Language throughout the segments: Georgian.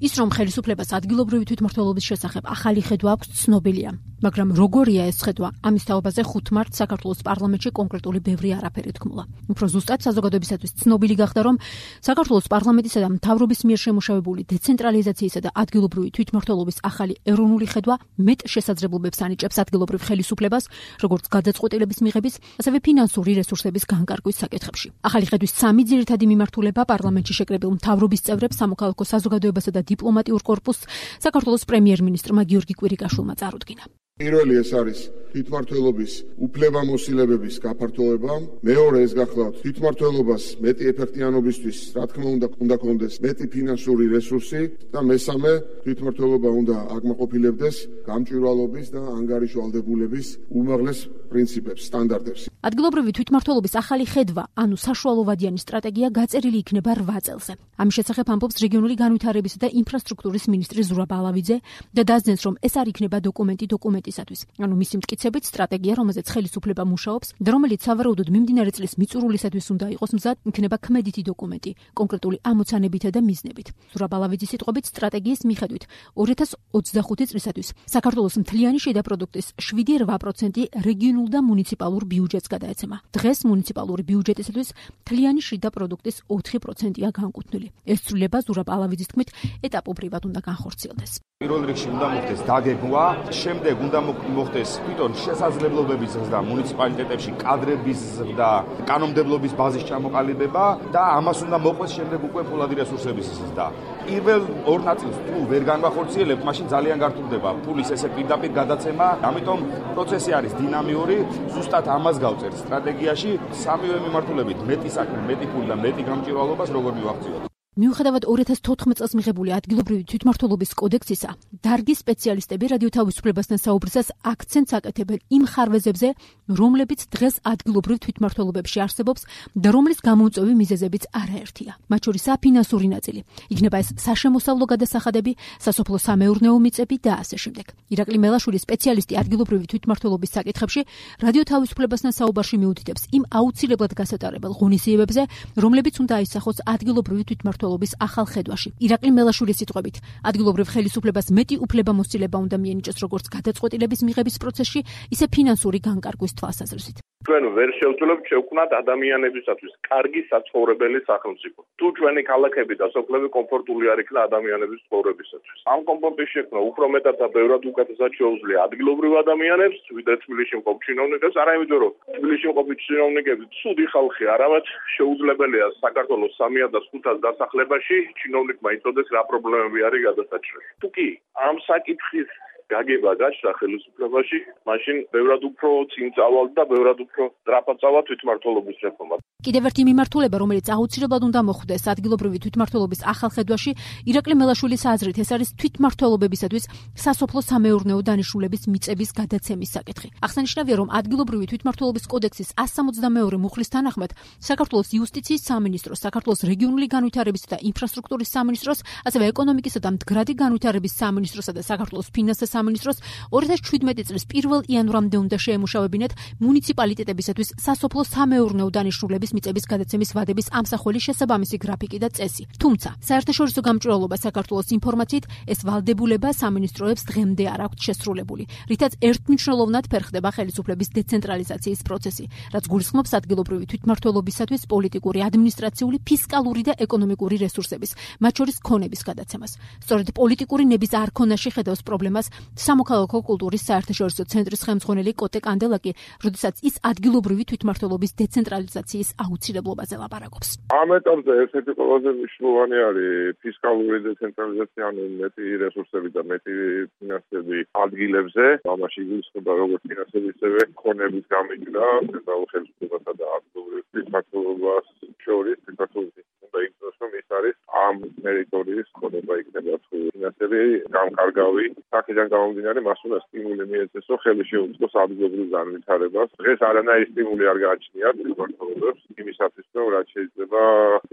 ის რომ ხელისუფლებას ადგილობრივი თვითმმართველობის შესახებ ახალი ხედვა აქვს ცნობილია, მაგრამ როგორია ეს ხედვა? ამის თაობაზე 5 მარტს საქართველოს პარლამენტში კონკრეტული ბევრი არაფერი თქმულა. უფრო ზუსტად საზოგადოებისათვის ცნობილი გახდა, რომ საქართველოს პარლამენტისა და მთავრობის მიერ შემუშავებული დეცენტრალიზაციისა და ადგილობრივი თვითმმართველობის ახალი ეროვნული ხედვა მეტ შესაძლებლობებს ანიჭებს ადგილობრივ ხელისუფლებას, როგორც გადაწყვეტილების მიღების, ასევე ფინანსური რესურსების განკარგვის საკითხებში. ახალი ხედვის 3 ძირითადი მიმართულება პარლამენტში შეკრებილ მთავრობის წევრებს, სამოქალაქო საზოგადოებასა და დიპლომატიურ კორპუსს საქართველოს პრემიერ-მინისტრმა გიორგი კვირიკაშვილმა წარუდგინა. პირველი ეს არის თვითმმართველობის უფლებამოსილებების გაფართოება, მეორე ეს გახლავთ თვითმმართველობას მეტი ეფექტიანობისთვის, რა თქმა უნდა კონდეს მეტი ფინანსური რესურსი და მესამე თვითმმართველობა უნდა აკმაყოფილებდეს გამჭვირვალობის და ანგარიშვალდებულების უმაღლეს პრინციპებს, სტანდარტებს. ადგილობრივი თვითმმართველობის ახალი ხედვა, ანუ საშუალოვადიანი სტრატეგია გაწერილი იქნება 8 წელზე. ამის შესახებ ამბობს რეგიონული განვითარებისა და ინფრასტრუქტურის მინისტრი ზურაბ ალავიძე და დაძენს, რომ ეს არ იქნება დოკუმენტისათვის, ანუ მისი მტკიცებით სტრატეგია, რომელზეც ხელისუფლება მუშაობს და რომელიც სავარაუდოდ მიმდინარე წლის მიწურულისათვის უნდა იყოს მზად, იქნება ქმედითი დოკუმენტი, კონკრეტული ამოცანებითა და მიზნებით. ზურაბ ალავიძის სიტყვებით, სტრატეგიის მიხედვით 2025 წლისათვის საქართველოს მთლიანი შიდა პროდუქტის 7-8% რეგიონულ და მუნიციპალურ ბიუჯეტს გადაეცემა. დღეს მუნიციპალური ბიუჯეტისათვის მთლიანი შიდა პროდუქტის 4%-ია განკუთვნილი. ეს ცვლილება ზურაბ ალავიძის თქმით ეტაპობრივად უნდა განხორციელდეს. პირველ რიგში უნდა მოხდეს დაგეგმვა, შემდეგ უნდა მოხდეს თვითონ შესაძლებლობების ზრდა მუნიციპალიტეტებში კადრების ზრდა, კანონმდებლობის ბაზის ჩამოყალიბება და ამას უნდა მოყვეს შემდეგ უკვე ფულადი რესურსების ზრდა. პირველ 2 ნაწილს თუ ვერ განვახორციელებთ, მაშინ ძალიან გართულდება ფულის ესე პირდაპირ გადაცემა, ამიტომ პროცესი არის დინამიური, ზუსტად ამას გავწერთ სტრატეგიაში, სამივე მიმართულებით მეტი საქმე, მეტი ფული და მეტი გამჭვირვალობას როგორ მივახციოთ. მიუხედავად 2014 წელს მიღებული ადგილობრივი თვითმმართველობის კოდექსისა, დარგის სპეციალისტები რადიო თავისუფლებასთან საუბრისას აქცენტს აკეთებენ იმ ხარვეზებზე, რომლებიც დღეს ადგილობრივ თვითმმართველობებში არსებობს და რომლის გამომწვევი მიზეზებიც არაერთია. მათ შორის საფინანსური ნაწილი. იქნება ეს საშემოსავლო გადასახადები, სასოფლო-სამეურნეო მიწები და ასე შემდეგ. ირაკლი მელაშვილი, სპეციალისტი ადგილობრივი თვითმმართველობის საკითხებში, რადიო თავისუფლებასთან საუბარში მიუთითებს იმ აუცილებლად გასატარებელ ღონისძიებებზე, რომლებიც უნდა აისახოს ადგილობრივი თვითმმართველობის ახალ ხედვაში. ირაკლი მელაშვილის სიტყვებით, ადგილობრივ ხელისუფლებას მეტი უფლებამოსილება უნდა მიენიჭოს როგორც გადაწყვეტილების მიღების პროცესში, ისე ფინანსური განკარგვის თვალსაზრისით. ჩვენ ვერ შევძლებთ შევქმნათ ადამიანებისათვის კარგი საცხოვრებელი სახელმწიფო. თუ ჩვენი ქალაქები და სოფლები კომფორტული არ იქნა ადამიანების ცხოვრებისათვის. ამ კომფორტის შექმნა უფრო მეტად და ბევრად უკეთესად შეუძლია ადგილობრივ ადამიანებს, ვიდრე თბილისში მყოფ ჩინოვნიკებს, არა იმიტომ რომ თბილისში მყოფი ჩინოვნიკები ცუდი ხალხი, არამედ შეუძლებელია საქართველოს 305 დასახლებაში ჩინოვნიკმა იცოდეს რა პრობლემები არის გადასაჭრელი. თუ კი ამ საკითხის გაგება გაჩნდა ხელისუფლებაში, მაშინ ბევრად უფრო წინ წავალ და ბევრად უფრო სწრაფად წავა თვითმმართველობის რეფორმა. კიდევ ერთი მიმართულება, რომელიც აუცილებლად უნდა მოხვდეს ადგილობრივი თვითმმართველობის ახალ ხედვაში, ირაკლი მელაშვილის აზრით, ეს არის თვითმმართველობებისათვის სასოფლო-სამეურნეო დანიშნულების მიწების გადაცემის საკითხი. აღსანიშნავია, რომ ადგილობრივი თვითმმართველობის კოდექსის 162 მუხლის თანახმად საქართველოს იუსტიციის სამინისტროს, საქართველოს რეგიონული განვითარებისა და ინფრასტრუქტურის სამინისტროს, ასევე ეკონომიკისა და მდგრადი განვითარების სამინისტროსა და საქართველოს ფინანსთა სამინისტროს 2017 წლის 1 იანვრამდე უნდა შეემუშავებინათ მუნიციპალიტეტებისათვის სასოფლო-სამეურნეო დანიშნულების მიწების გადაცემის ვადების ამსახველი შესაბამისი გრაფიკი და წესი. თუმცა, საერთაშორისო გამჭვირვალობა საქართველოს ინფორმაციით, ეს ვალდებულება სამინისტროებს დღემდე არ აქვთ შესრულებული, რითაც ერთმნიშვნელოვნად ფერხდება ხელისუფლების დეცენტრალიზაციის პროცესი, რაც გულისხმობს ადგილობრივი თვითმმართველობისათვის პოლიტიკური, ადმინისტრაციული, ფისკალური და ეკონომიკური რესურსების, მათ შორის ქონების გადაცემას. სწორედ პოლიტიკური ნების არქონაში ხედავს პრობლემას სამოქალაქო კულტურის საერთაშორისო ცენტრის ხელმძღვანელი კოტე კანდელაკი, როდესაც ის ადგილობრივი თვითმმართველობის დეცენტრალიზაციის აუცილებლობაზე ლაპარაკობს. ამ ეტაპზე ერთ-ერთი ყველაზე მნიშვნელოვანი არის ფისკალური დეცენტრალიზაცია, ანუ მეტი რესურსები და მეტი ფინანსები ადგილებზე. ამაში იგულისხმება როგორც ფინანსების, ისევე ქონების გამიჯვნა ცენტრალურ ხელისუფლებასა და ადგილობრივ თვითმმართველობას შორის. საქართველოს უნდა იგრძნოს, რომ ის არის ამ ტერიტორიის ქონება იქნება თუ ფინანსები გამკარგავი. აქედან გამომდინარე, მას უნდა სტიმული მიეცეს, რომ ხელი შეუწყოს ადგილობრივ განვითარებას. დღეს არანაირი სტიმული არ გააჩნიათ თვითმმართველობებს იმისათვის, რომ რაც შეიძლება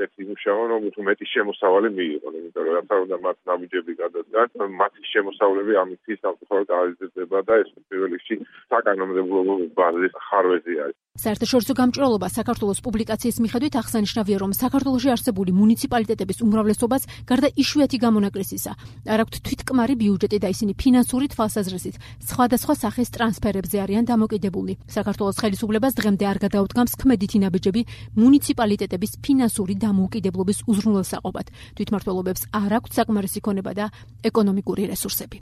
ეს იმუშაონ, რომ თუ მეტი შემოსავალი მიიღონ, იმიტომ რომ რაც უნდა მათ ნაბიჯები გადადგან, მათი შემოსავლები ამის სამწუხაროდ არ იზრდება და ეს პირველ რიგში საკანონმდებლო ბაზის ხარვეზი არის. საერთაშორისო გამჭვირვალობა საქართველოს პუბლიკაციის მიხედვით აღსანიშნავია, რომ საქართველოში არსებული მუნიციპალიტეტების უმრავლესობას გარდა იშვიათი გამონაკლისისა არ აქვთ თვითკმარი ბიუჯეტი და ისინი ფინანსური თვალსაზრისით სხვადასხვა სახის ტრანსფერებზე არიან დამოკიდებული. საქართველოს ხელისუფლებას დღემდე არ გადაუდგამს ქმედითი ნაბიჯები მუნიციპალიტეტების ფინანსური დამოუკიდებლობის უზრუნველსაყოფად. თვითმმართველობებს არ აქვთ საკმარისი ქონება და ეკონომიკური რესურსები.